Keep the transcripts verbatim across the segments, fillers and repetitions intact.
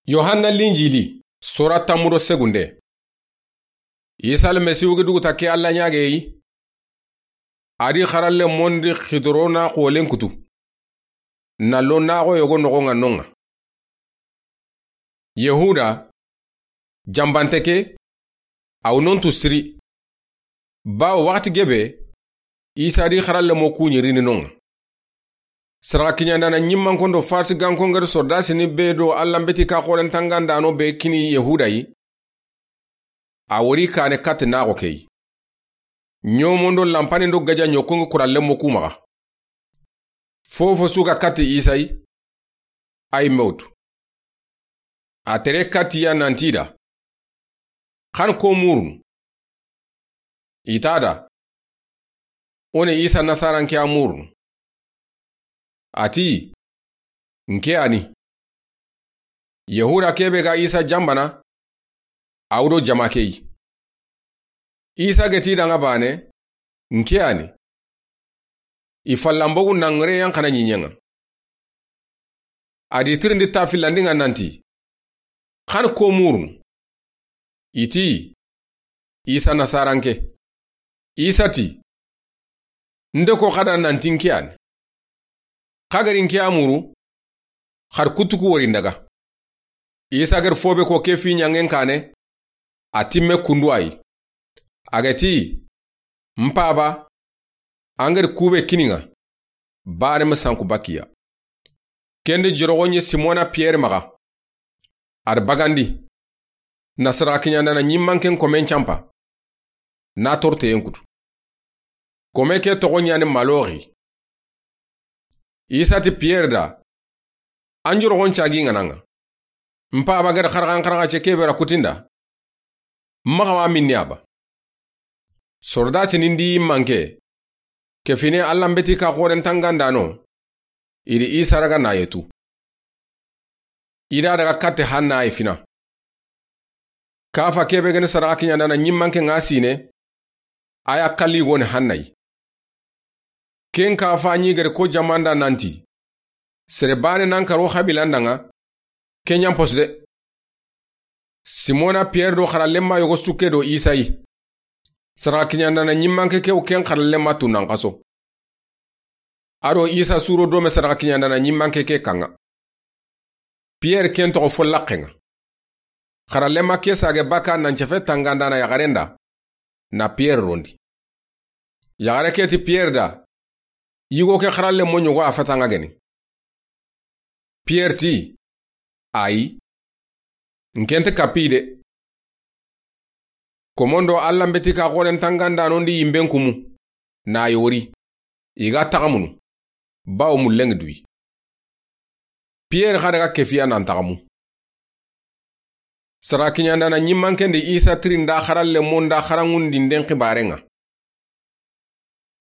Yohanna Linjili, sura tanmu do segunde. Isa Almasihu ga duguta ke Alla ɲaage yi. A di xaralle mondi xidorona xoolen kutu, na lo naxo yogo noxon ŋa non ŋa. Yahuda, janbante ke, a wa non tu siri. Bawo waxati gebe, Isa di xaralle mo ku ɲi rini non ŋa. Saraxa kiɲandana ɲimmanko do Farisi ganko ŋa ri sordasini be do Alla mbeti ka xoren tangandano be kini Yahuda yi. A wori kane katti naxo ke yi. Ɲomondo lampani do gaja ɲokko ŋa kuralle mo ku maxa. Fofo su ga katti Isa yi, a yi me wutu. A tere katti ya nanti da: Xa ni ko murunu? I ta da: O ni Isa Nasaranke ya murunu. A ti: Nke ya ni. Yahuda ke be ga Isa janbana, a wa do jama ke yi. Isa ga ti da ŋa bane: Nke ya ni. I fallanbogu na ŋere yan xana ɲiɲen ŋa. A di tirindi ta fillandi ŋa nanti: Xa ni ko murunu? I ti: Isa Nasaranke. Isa ti: Nde ko xa da nanti nke ya ni? Xa ga ri nke ya muru, xa ri kutu ku wori n daga. Isa ga ri fo be ko ke fi ɲangen kane, a timme kundu a yi. A ga ti: N Paba, an ga ri ku be kini ŋa, bane ma sanku bakiya. Kendi joroxo ɲi Simona Piyere maxa. A ri bagandi, na saraxa kiɲandana ɲimmanken komen canpa, na torteyen kutu. Kome ke toxo ɲa ni Maloxi. Isa ti Piyere da: An joroxon cagi ŋa na ŋa. N Paba ga da xaraxan xaraxa ce ke be ra kutinda, maxa wa minni a ba. Sordasini ndi manke, ke fine Alla mbeti ka xoren tangandano, i di Isa raga na yetu. I da daga katti Hanna yi fina. Kafa ke be ga ni saraxa kiɲandana ɲimmanke ŋa sine, a ya kalli go ni Hanna yi. Ken kafa ɲi ga ri ko jamanda nanti: Sere bane nan karo xabilan da ŋa, ke ɲan posu de. Simona Piyere do xarallenma yogo sukke do Isa yi. Saraxa kiɲandana ɲimmanke ke wa ken xarallenma tu nan xaso. A do Isa suro do me saraxa kiɲandana ɲimmanke ke kan ŋa. Piyere ken toxo fo laxen ŋa. Xarallenma ke sage baka nan cefe tangandana yaxaren da, na Piyere rondi. Yaxare ke ti Piyere da: Yigo ke xaralle mo ɲogo a fata ŋa geni. Piyere ti: Ayi, nke nta kapi de. Komondo Alla mbeti ka xoren tangandano ndi yimben kumu, na yori, i ga taxamunu, bawo mullen ŋa duyi. Piyere xa daga kefiya nan taxamu. Saraxa kiɲandana ɲimmanke ndi Isa tirinda xaralle mo nda xaranŋundinden xibaren ŋa.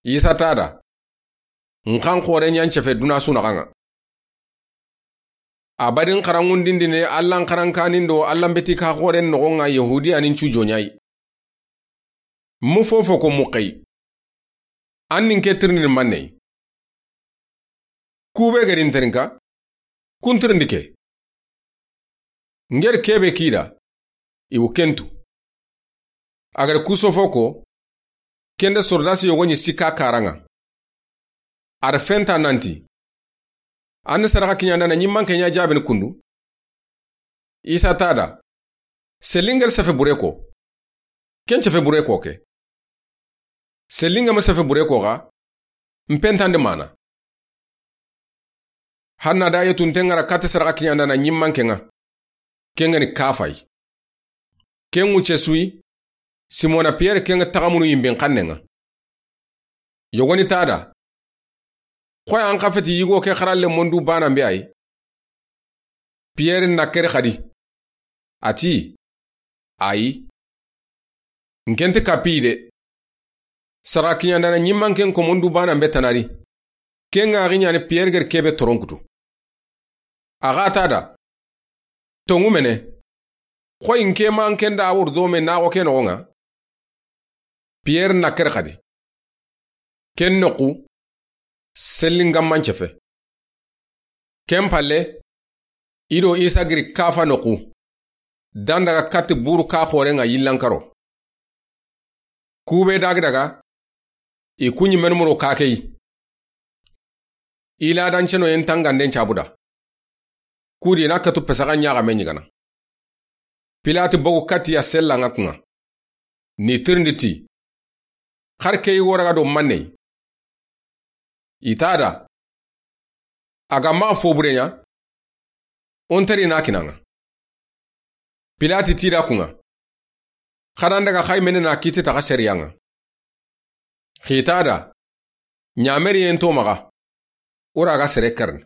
Isa ta da: N xan xoren ɲan cefe duna su naxan ŋa. A badin xaranŋundindine Alla n xarankanin do Alla mbeti ka xoren noxon ŋa Yahudiyanin cu joɲa yi. Mu fofo ko mu xeyi. An ni nke tirindini manne yi? Ku be ga ri n terinka, ku n tirindi ke. Ŋeri ke be ki da, i wa ken tu. A ga ri ku sofo ko, kende sordasi yogo ɲi sikka karan ŋa. A da fenta nanti: An ni saraxa kiɲandana ɲimmanke ɲa jaabini kundu? Isa ta da: Selli ŋeri sefe bure ko, ken cefe bure ko ke. Selli ŋa ma sefe bure ko xa, n pentandi mana. Hanna da yetu nte ŋa ra katti saraxa kiɲandana ɲimmanke ŋa, ken ŋa ni Kafa yi. Ken ŋuce su yi, Simona Piyere ken ŋa taxamunu yimben xannen ŋa. Yogoni ta da: Xoyi an xa feti yigo ke xaralle mo ndu banan be a yi? Piyere na keri xadi. A ti: Ayi, nke nta kapi de. Saraxa kiɲandana ɲimmanken komo ndu banan be tana di. Ken ŋa xi ɲa ni Piyere ga ri ke be toron kutu. A xa ta da: Tonŋu mene, xoyi nke ma nke nda a wori do me naxo ke noxon ŋa? Piyere na keri xadi. Ken noxu, selli ŋa ma n cefe. Ken palle, I do Isa giri kafa noxu, dan daga katti buru ka xoren ŋa yillan karo. Kube dagi daga, i kuɲi menmuro ka keyi. I ladanceno yen tanganden cabuda. Kudi na katu pesaxa ɲaxame ɲigana. Pilati bogu katti ya sella ŋa kuŋa. Ni tirindi ti, xar keyi wo raga do manne yi? I ta da, a ga maxa fobure ɲa, o nteri na kinaŋa. Pilati ti da kuŋa, xadan daga xayi mene na kiti taxa sariya ŋa. Xita da, ɲameri yen to maxa, o raga sere karni.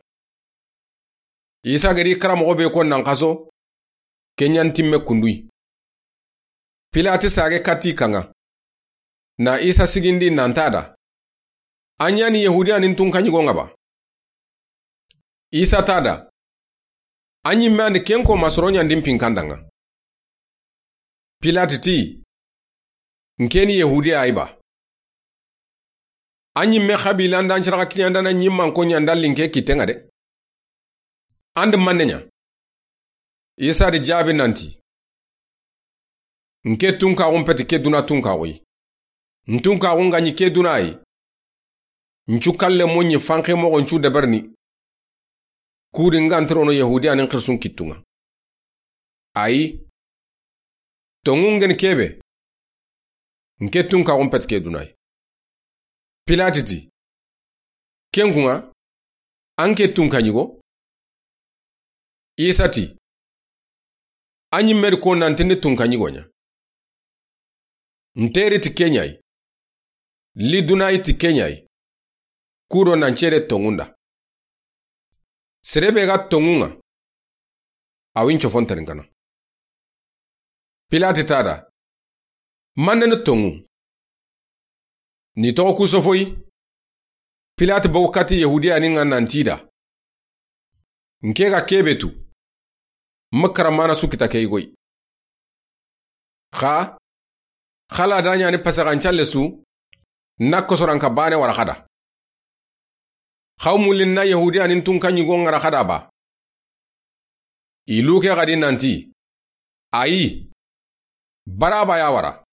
Isa gari karamoxo be ko nan xaso, kenɲan timme kunduyi. Pilati sage katti kaŋa. Na Isa sigindi nan ta da, an ɲani Yahudiyanin tunkaɲigo ŋa ba? Isa ta da, an ɲimme andi ken ko masoro ɲandin pinkandaŋa. Pilati ti, nkeni Yahudiya yi ba? An ɲimme xabilan dan ciraxa kiɲandana ɲimman ko ɲandallin ke kitten ŋa de. Andi manne ɲa? Isa di jaabi nanti, nke tunkaxun peti ke duna tunkaxu yi. N tunkaxun ga ɲi ke duna yi, n cu kalle mo ɲi fanxe moxo n cu deberni. Kudi n ga ntirono Yahudiyanin xirsun kittuŋa. Ayi, toŋun geni kebe, nke tunkaxun peti ke duna yi. Pilati ti, ken kuŋa, an ke tunkaɲigo? Isa ti, an ɲimme di ko nantindi tunkaɲigo ɲa. Nteri ti keɲayi, li dunayi ti keɲayi, kudo nan cere toŋunda. Sere be ga toŋuŋa, a wi n cofon tarinkana. Pilati ta da, manne ni toŋu? Ni toxo ku sofoyi. Pilati bogu katti Yahudiyanin ŋa nanti da, nke ga kebe tu, ma karamana su kita ke yigoyi. Xa, xala da ɲani pasaxancalle su, na kosoranka bane wara xada. Xaw mullin na Yahudiyanin tunkaɲigo ŋara xada ba? I luke xadi nanti, ayi, Baraba ya wara.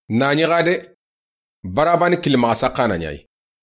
Na ɲi xa de, Baraba ni kilimaxa saxana ɲayi.